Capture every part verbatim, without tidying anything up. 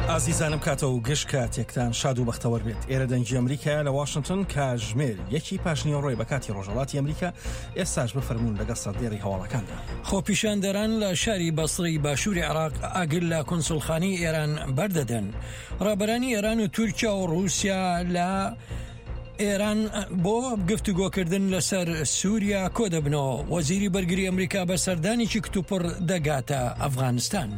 ئازیزانم، کاتە و گشت کاتێکتان شاد و بەختەوەر بێت. ئێرە دەنگی ئەمریکا لە واشنگتن، کاژمێر یەکی پاشنیوەڕۆی بە کاتی ڕۆژهەڵاتی ئەمریکا. ئێستاش بفەرموون لەگەڵ سەردێڕی هەواڵەکاندا. خۆپیشاندەران لە شاری بەسڕی باشووری عێراق ئاگر لە کونسوڵخانەی ئێران بەردەدەن. ڕابەرانی ئێران و تورکیا و ڕووسیا لە ئێران بۆ گفتوگۆکردن لەسەر سووریا کۆ دەبنەوە. وەزیری بەرگری ئەمریکا بە سەردانێکی کتوپڕ دەگاتە ئەفغانستان.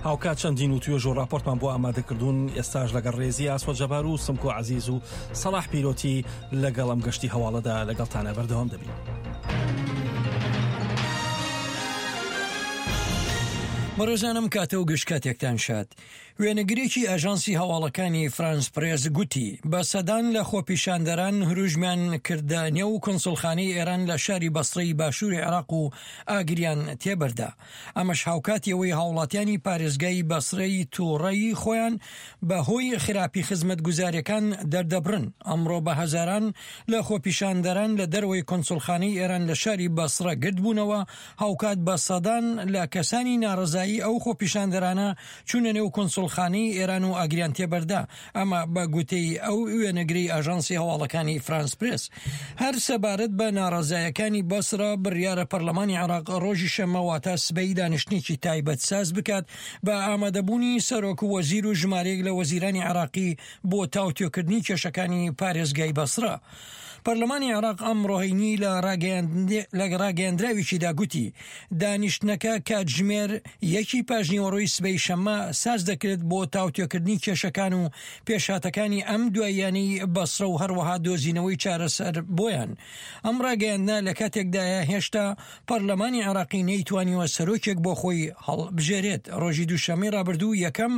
هاوکات چەندین و توێژ و راپۆرتمان بۆ ئامادەکردوون. ئێستاش لەگەڵ ڕێزی ئاسۆ جەبار و سمکۆ عەزیز و سەڵاح پیرۆتی لەگەڵ ئەم گەشتی هەواڵەدا لەگەڵتانە بەردەوام دەبین. بەڕێزانم، کاتە و گشت کاتێکتان شاد. وێنەگرێکی ئاژانسی هەواڵەکانی فرانس پرێس گوتی بە سەدان لە خۆپیشاندەران هروژمیان کردە نێو کونسوڵخانەی ئێران لە شاری بەسڕەی باشووری عێراق و ئاگریان تێبەردا. ئەمەش هاوکاتی ئەوەی هاوڵاتیانی پارێزگای بەسرەی تووڕەی خۆیان بە هۆی خراپی خزمەتگوزاریەکان دەردەبڕن. ئەمڕۆ بە هەزاران لە خۆپیشاندەران لە دەرەوەی کونسوڵخانەی ئێران لە شاری بەسرە گردبوونەوە. هاوکات بە سەدان لە کەسانی ناڕەزایی ئەو خۆپیشاندەرانە چوونە نێو کونسوڵخانەی ئێران و ئاگریان تێبەردا. ئەمە بە گوتەی ئەو وێنەگری ئاژانسی هەواڵەکانی فرانس پرێس. هەر سەبارەت بە ناڕەزایەکانی بەسرە، بڕیارە پەرلەمانی عێراق ڕۆژی شەممە واتە سبەی دانیشتنێکی تایبەت ساز بکات بە ئامادەبوونی سەرۆک وەزیر و ژمارەیەک لە وەزیرانی عێراقی بۆ تاوتوێکردنی کێشەکانی پارێزگای بەسرە. پەرلەمانی عێراق ئەمڕۆ هەینی لە ڕاگەیاندراوێکیدا گوتی دانیشتنەکە کاتژمێر یەکی پاژنیوەڕۆی سبەی شەممە ساز دەکرێت بۆ تاوتوێکردنی کێشەکان و پێشهاتەکانی ئەم دواییانەی بەسرە و هەروەها دۆزینەوەی چارەسەر بۆیان. ئەم ڕاگەیاندنە لە کاتێکدایە هێشتا پەرلەمانی عێراقی نەیتوانیوە سەرۆکێک بۆ خۆی هەڵبژێرێت. ڕۆژی دووشەممەی ڕابردوو یەکەم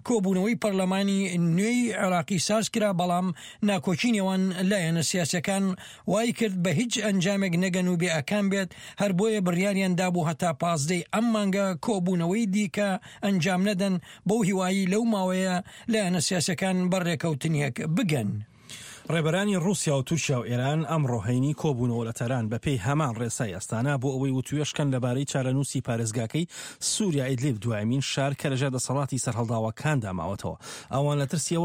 کۆبوونەوەی پەرلەمانی نوێی عێراقی ساز کرا، بەڵام ناکۆکی نێوان لایەنە سیاسەکان وای کرد بە هیچ ئەنجامێک نەگەن و بێئاکام بێت. هەر بۆیە بڕیاریان دابوو هەتا پازدەی ئەم مانگە کۆبوونەوەی دیکە ئەنجام نەدەن، بەو هیوایی لەو ماوەیە لایەنە سیاسەکان بەڕێکەوتنێک بگەن. ڕێبەرانی ڕووسیا و تورکیا و ئێران ئەمڕۆ هەینی کۆبوونەوە لە تاران بەپێی هەمان ڕێسای ئەستانە بۆ ئەوەی وتوێژکەن لەبارەی چارەنووسی پارێزگاکەی سووریا ئیدلیب، دوایمین شار کە لەژێر دەسەڵاتی سەرهەڵداوەکاندا ماوەتەوە. ئەوان لە ترسی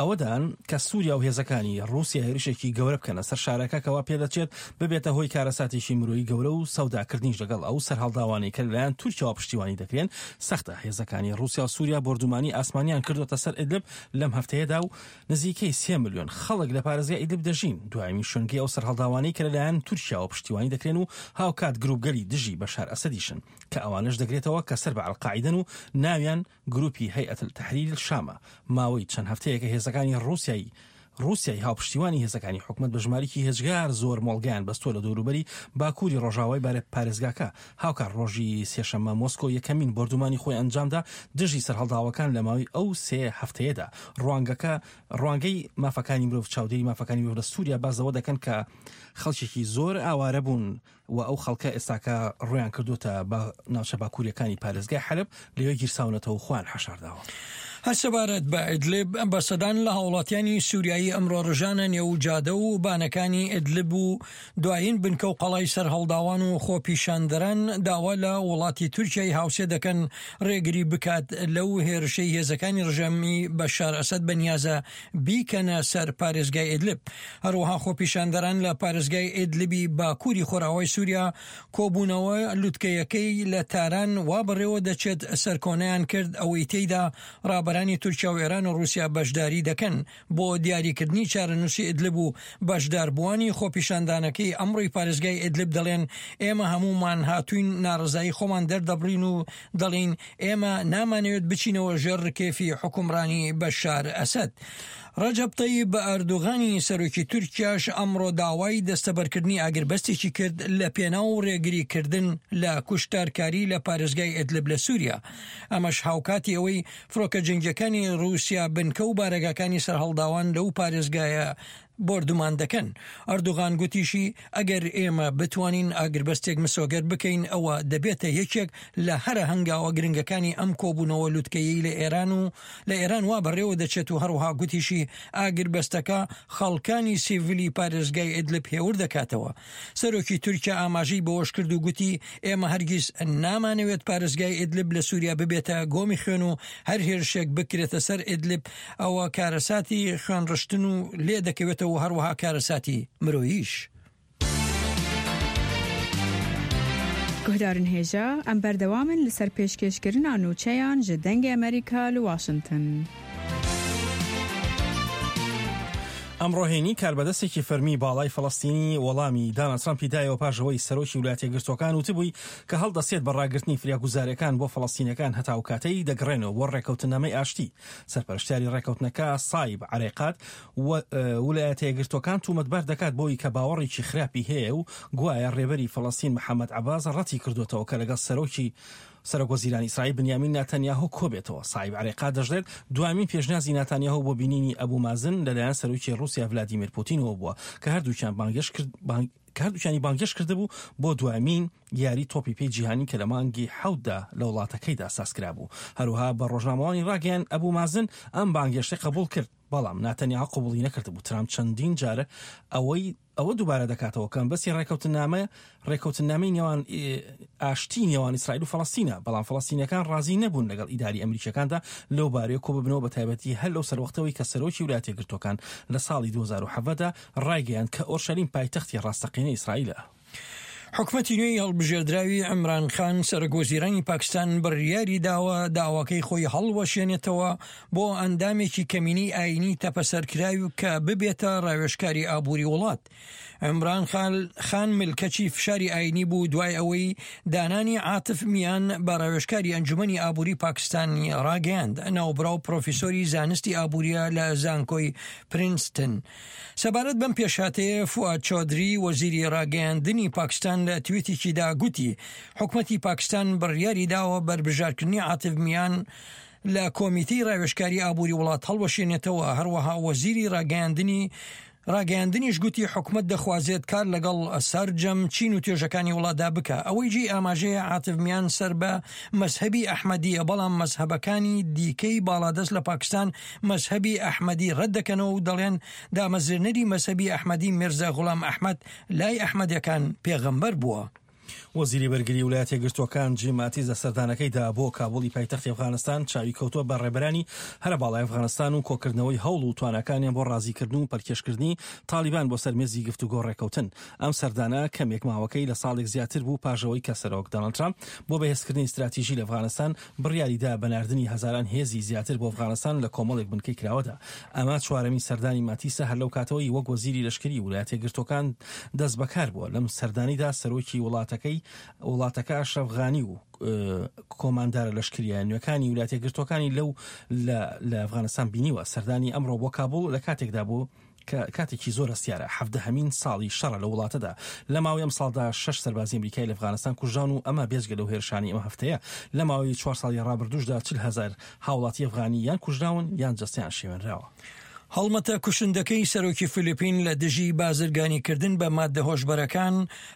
ئەوەدان کە سووریا و هێزەکانی ڕووسیا هێرشێکی گەورە بکەنە سەر شارەکە کەوا پێدەچێت ببێتە هۆی کارەساتێکی مرۆیی گەورە و سەوداکردنیش لەگەڵ ئەو سەرهەڵداوانەی کە لەلایەن تورکیاوە پشتیوانی دەکرێن سەختە. هێزەکانی ڕووسیا و سووریا بۆردومانی ئاسمانیان کردوتە سەر ئیدلب لەم هەفتەیەدا و نزیکەی سێ ملیۆن خەڵک لە پارێزگای ئیدلب دەژین. دوایین شوێنگەی ئەو سەرهەڵداوانەی کە لەلایەن تورکیاوە پشتیوانی دەکرێن و هاوکات گروپگەلی دژی بەشار ئەسەدیشن کە ئەوانەش دەگرێتەوە کە سەر بە ئەلقاعیدەن و ناویان گروپی هەیئەت تەحریر شامە. ماوەی چەند هەفتەیەکە هێزەکانی ڕووسیای ڕووسیای هاوپشتیوانی هێزەکانی حکومەت بە ژمارێکی هێجگار زۆر مۆڵگەیان بەستووە لە دەوروبەری باکووری ڕۆژاوای پارێزگاکە. هاوکات ڕۆژی سێشەممە مۆسکۆ یەکەمین بۆردومانی خۆی ئەنجامدا دژی سەرهەڵداوەکان لە ماوەی ئەو سێ هەفتەیەدا. ڕوانگەکە ڕوانگەی مافەکانی مرۆڤ چاودێری مافەکانی مرۆڤ لە سووریا باس لەوە دەکەن کە خەڵکێکی زۆر ئاوارە بوون و ئەو خەڵکە ئێستاکە ڕویان کردوتە بە ناوچە باکووریەکانی پارێزگای حەلب، لەوێ گیرساونەتەوە خۆیان حەشارداوە. هەر سەبارەت بە ئیدلب، بە سەدان لە هاوڵاتیانی سووریایی ئەمڕۆ ڕژانە نێو جادە و بانەکانی ئیدلب و دوایین بنکە و قەڵای سەرهەڵداوان و خۆپیشاندەران داوا لە وڵاتی تورکیای هاوسێ دەکەن ڕێگری بکات لەو هێرشەی هێزەکانی ڕژێمی بەشار ئەسەد بەنیازە بیکەنە سەر پارێزگای ئیدلب. هەروەها خۆپیشاندەران لە پارێزگای ئیدلبی باکووری خۆراوای سووریا کۆبوونەوە لوتکەیەکەی لە تاران وا بەڕێوە دەچێت سەرکۆنەیان کرد، ئەوەی تێیدا ڕابەرانی تورکیا و ئێران و ڕووسیا بەشداری دەکەن بۆ دیاریکردنی چارەنووسی ئیدلب و بەشداربووانی خۆپیشاندانەکەی ئەمڕۆی پارێزگای ئیدلب دەڵێن ئێمە هەمومان هاتوین ناڕەزایی خۆمان دەردەبڕین و دەڵێن ئێمە نامانەوێت بچینەوە ژێر ڕکێفی حوکمڕانی بەشار ئەسەد. ڕەجەب تەیب ئەردۆغانی سەرۆکی تورکیاش ئەمڕۆ داوای دەستەبەرکردنی ئاگربەستێکی کرد لە پێناو ڕێگریکردن لە کوشتارکاری لە پارێزگای ئیدلب لە سووریا. ئەمەش هاوکاتی ئەوەی فڕۆکە جەنگیەکانی ڕووسیا بنکە و بارەگاکانی سەرهەڵداوان لەو پارێزگایە بۆردومان دەکەن. ئەردوغان گوتیشی ئەگەر ئێمە بتوانین ئاگربەستێک مسۆگەر بکەین ئەوە دەبێتە یەکێک لە هەرە هەنگاوە گرنگەکانی ئەم کۆبوونەوە لوتکەیەی لە ئێران و لە ئێران وا بەڕێوە دەچێت و هەروەها گوتیشی ئاگربەستەکە خەڵکانی سیڤیلی پارێزگای ئیدلب هێور دەکاتەوە. سەرۆکی تورکیا ئاماژەی بەوەش کرد و گوتی ئێمە هەرگیز نامانەوێت پارێزگای ئیدلب لە سووریا ببێتە گۆمی خوێن و هەر هێرشێک بکرێتە سەر ئیدلب ئەوە کارەساتی خوێنڕشتن و لێ دەکەوێتەوە، هەروەها کارەساتی مرۆییش. گوهدارن هێژا ئەم بەردەوامن لەسەر پێشکێشکردنا نوچەیان ji دەنگê ئەمریکا لە واشنگتن. ئەمڕۆ هەینی کاربەدەستێکی فەرمی باڵای فەڵەستینی وەڵامی دانالد ترامپی دایەوە پاش ئەوەی سەرۆکی ویلایەتە یەکگرتووەکان وتبووی کە هەڵدەسێت بە ڕاگرتنی فریاگوزاریەکان بۆ فەڵەستینەکان هەتا ئەو کاتەی دەگەڕێنەوە بۆ ڕێککەوتنامەی ئاشتی. سەرپەرشتیاری ڕێککەوتنەکە سایب عەرەیقات ویلایەتە یەکگرتووەکان تومەتبار دەکات بۆی کە باوەڕێکی خراپی هەیە و گوایە ڕێبەری فەڵەستین محەممەد عەباس ڕەتی کردوێتەوە کە لەگەڵ سەرۆکی سەرۆک وەزیرانی ئیسرائیل بنیامین ناتانیاهۆ کۆبێتەوە. سایب عەرەیقات دەشڵێت دوامین پێشنیازی ناتانیاهۆ بۆ بینینی ئەبوو مازن لەلایەن سەرۆکی ڕووسیا ڤلادیمیر پوتینەوە بووە کە هەردووکیان بانگێش کرد کە هەردووکیانی بانگێش کردبوو بۆ دوامین یاری تۆپی پێی جیهانی کە لە مانگی حەوتدا لە وڵاتەکەیدا سازکرابوو. هەروەها بە ڕۆژنامەوانی ڕاگەیان ئەبوو مازن ئەم بانگێشتەی قبوڵ کرد، بەڵام ناتانیاهۆ قبوڵی نەکردبوو. ترامپ چەندین جارە ئەوەی ئەوە دووبارە دەکاتەوە کە بەسی ڕێککەوتنامە ڕێککەوتنامەی نێوان ئاشتی نێوان ئیسرائیل و فەڵەستینە، بەڵام فەڵەستینەکان ڕازی نەبوون لەگەڵ ئیداری ئەمریکیەکاندا لەو بارەیە کۆ ببنەوە، بە تایبەتی هەر لەو سەروەختەوەی کە سەرۆکی ویلایەتە یەکگرتووەکان لە ساڵی دوو هەزار و حەڤدە ڕایگەیاند کە ئۆرشەلیم پایتەختی ڕاستەقینەی ئیسرائیلە. حکومەتی نوێی هەڵبژێردراوی عیمران خان سەرۆک وەزیرانی پاکستان بڕیاری داوە داواکەی خۆی هەڵوەشێنێتەوە بۆ ئەندامێکی کەمینەی ئاینی تەپەسەرکراوی کە ببێتە ڕاوێژکاری ئابووری وڵات. عیمران خان ملکەچی فشاری ئاینی بوو دوای ئەوەی دانانی عاتف میان بە ڕاوێژکاری ئەنجومەنی ئابووری پاکستانی ڕاگەیاند. ناوبراو پرۆفیسۆری زانستی ئابووریە لە زانکۆی پرینستن. سەبارەت بەم پێشهاتەیە فوئاد چۆدری وەزیری ڕاگەیاندنی پاکستان لە تویتێکیدا گوتی حکومەتی پاکستان بڕیاری داوە بەربژارکردنی عاتف میان لە کۆمیتەی ڕاوێژکاری ئابووری وڵات هەڵوەشێنێتەوە. هەروەها وەزیری ڕاگەیاندنی ڕاگەیاندنیش گوتی حکومەت دەخوازێت کار لەگەڵ سەرجەم چین و توێژەکانی وڵاتدا بکە. ئەوەی جێی ئاماژەیە عاتف میان سەر بە مەزهەبی ئەحمەدیە، بەڵام مەزهەبەکانی دیکەی باڵادەست لە پاکستان مەزهەبی ئەحمەدی ڕەت دەکەنەوە و دەڵێن دامەزرێنەری مەزهەبی ئەحمەدی میرزا غوڵام ئەحمەد لای ئەحمەدیەکان پێغەمبەر بووە. وەزیری بەرگری ویلایەتە یەکگرتووەکان جیم ماتیس لە سەردانەکەیدا بۆ کابولی پایتەختی ئەفغانستان چاوی کەوتووە بە ڕێبەرانی هەرە باڵای ئەفغانستان و کۆکردنەوەی هەوڵ و تواناکانیان بۆ ڕازیکردن و پەلکێشکردنی تالیبان بۆ سەر مێزی گفتوگۆ ڕێککەوتن. ئەم سەردانە کەمێک ماوەکەی لە ساڵێک زیاتر بوو پاش ئەوەی کە سەرۆک دۆناڵد ترامپ بۆ بەهێزکردنی استراتیژی لە ئەفغانستان بڕیاریدا بە ناردنی هەزاران هێزی زیاتر بۆ ئەفغانستان لە کۆمەڵێک بنکەی کراوەدا. ئەمە چوارەمین سەردانی ماتیسە هەر لەو کاتەوەی وەک وەزیری لەشکری ویلایەتە یەکگرتووەکان دەست بەکار بووە. لەم سەردانیدا سەرۆکی وڵاتەکەی وڵاتەکە ئەشرەف غانی و کۆماندارە لەشکریە نوێەکانی ویلایەتە یەکگرتووەکانی لەو لە ئەفغانستان بینیوە. سەردانی ئەمڕۆ بۆ کابوڵ لە کاتێکدا بوو کە کاتێکی زۆر هەستیارە، حەڤدەهەمین ساڵی شەڕە لە وڵاتەدا. لە ماوەی ئەم ساڵدا شەش سەربازی ئەمریکای لە ئەفغانستان کوژران و ئەمە بێجگە لەو هێرشانی ئەم هەفتەیە. لە ماوەی چوار ساڵی ڕابردووشدا چل هەزار هاوڵاتی ئەفغانی یان کوژراون یان جەستەیان شێوێنراوە. هەڵمەتە کوشندەکەی سەرۆکی فلیپین لە دژی بازرگانیکردن بە مادە هۆشبەرەکان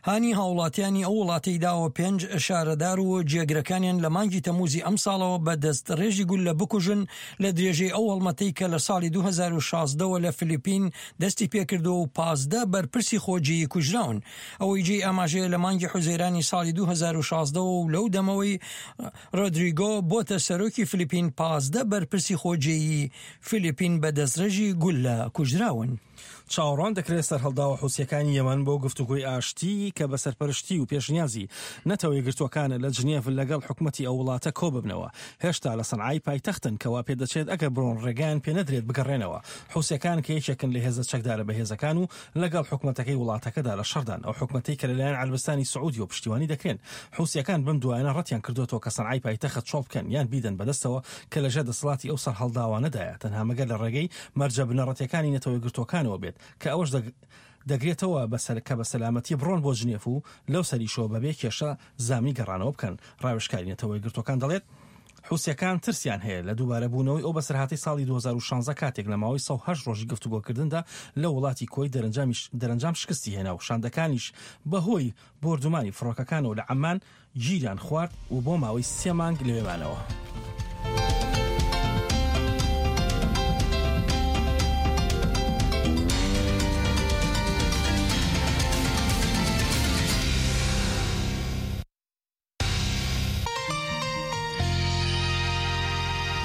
هانی هاوڵاتیانی ئەو وڵاتەی داوە پێنج شارەدار و جێگرەکانیان لە مانگی تەموزی ئەم ساڵەوە بە دەست ڕێژی گوللە بکوژن لە درێژەی ئەو هەڵمەتەی کە لە ساڵی دوو هەزار و شازدە لە فلیپین دەستی پێکردەوە و پازدە بەرپرسی خۆجێیی کوژراون. ئەوەی جێی ئاماژەیە لە مانگی حوزەیرانی ساڵی دوو هەزار و شازدە و لەو دەمەوەی ڕۆدریگۆ بۆتە سەرۆکی فلیپین پازدە بەرپرسی خۆجێیی فلیپین بە دەستڕێژی گوللە کوژراون. چاوەڕوان دەکرێت سەرهەڵداوە حوسیەکانی یەمەن بۆ گفتوگۆی ئاشتی کە بە سەرپەرشتی و پێشنیازی نەتەوە یەکگرتووەکانە لە جنێڤ لەگەڵ حکومەتی ئەو وڵاتە کۆ ببنەوە. هێشتا لە سەنعای پایتەختن کەوا پێدەچێت ئەگەر بڕۆن ڕێگایان پێ نەدرێت بگەڕێنەوە. حوسیەکان کە یەکێکن لە هێزە چەکدارە بەهێزەکان و لەگەڵ حکومەتەکەی وڵاتەکەدا لە شەڕدان، ئەو حکومەتەی کە لەلایەن عەرەبستانی سعودیەوە پشتیوانی دەکرێن. حوسیەکان بەم دوایانە ڕەتیان کردوێتەوە کە سەنعای پایتەخت چۆڵ بکەن یان بیدەن بەدەستەوە کە لەژێر دەسەڵاتی ئەو سەرهەڵداوانەدایە، تەنها مەگەر لە ڕێگەی مەرجە بنەڕەتیەکانی نەتەوە یەکگرتووەکانەوە بێت کە ئەوەش دەگرێتەوە بەسەر کە بە سەلامەتی بڕۆن بۆ جنێف و لەو سەریشەوە بەبێ کێشە زامی گەڕانەوە بکەن. ڕاوێژکاری نەتەوە یەکگرتووەکان دەڵێت حوسیەکان ترسیان هەیە لە دووبارەبوونەوەی ئەو بەسەرهاتەی ساڵی دوو هەزار و شازدە کاتێک لە ماوەی سەد و هەشت ڕۆژی گفتوگۆکردندا لە وڵاتی کوەیت دەرەنجام شکستی هێنا و شاندەکانیش بەهۆی بۆردومانی فڕۆکەکانەوە لە عەمان گیریان خوارد و بۆ ماوەی سێ مانگ لەوێ مانەوە.